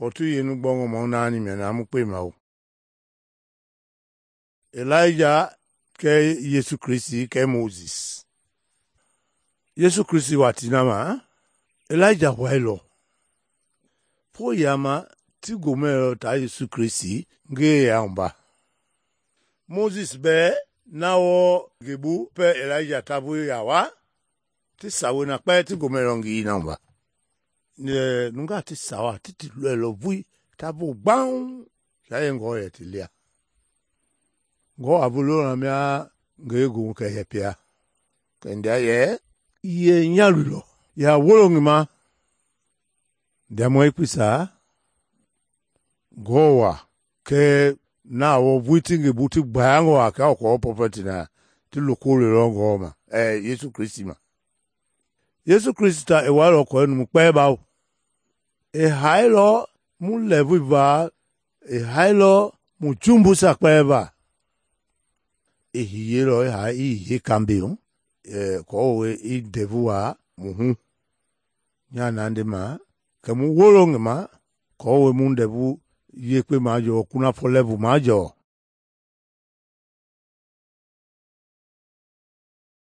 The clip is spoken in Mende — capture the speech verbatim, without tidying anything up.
Pɔtu yenu gbɔngɔ mɔ naani mia na mu kpema o. Elijah kɛ Yesu Kristi kɛ Moses. Yesu Kristi watii ma Elijah wailɔ. Po yama ti gomɛlɔ ta Yesu Kristi nge yamba. Moses bɛɛ na wɔ gebu pɛ Elijah tabu ya wa ti sawe na kpɛ ti gomɛlɔ ngi namba. Ne nunga ti sawa ti ti lɔlɔ vui tabu gbang ya ye ngɔ yɛ ti lia. Ngɔ abulo na mia nge gu kɛ yɛpia. Kɛ ndia yɛ ye nyalulɔ ya wolo ngima. Ndia mɔ ikpisa ngɔwa kɛ na wɔ vui ti nge bu ti gbangɔ a ka kɔ prophet na ti lokole lɔ ngɔ ma eh Yesu Kristi ma. Yesu Kristi ta e wailɔ kɔ nu kpɛ bawo. E hailɔ mu lɛvu va e hailɔ mu jumbu sa kpɛ ba. E hiyelɔ e ha i he kambe eh kɔ we i devu wa mu hu. Nya nande ma kɛ mu wolo ngima kɔ we mu devu yekpe ma jɔ kuna fɔ levu ma jɔ.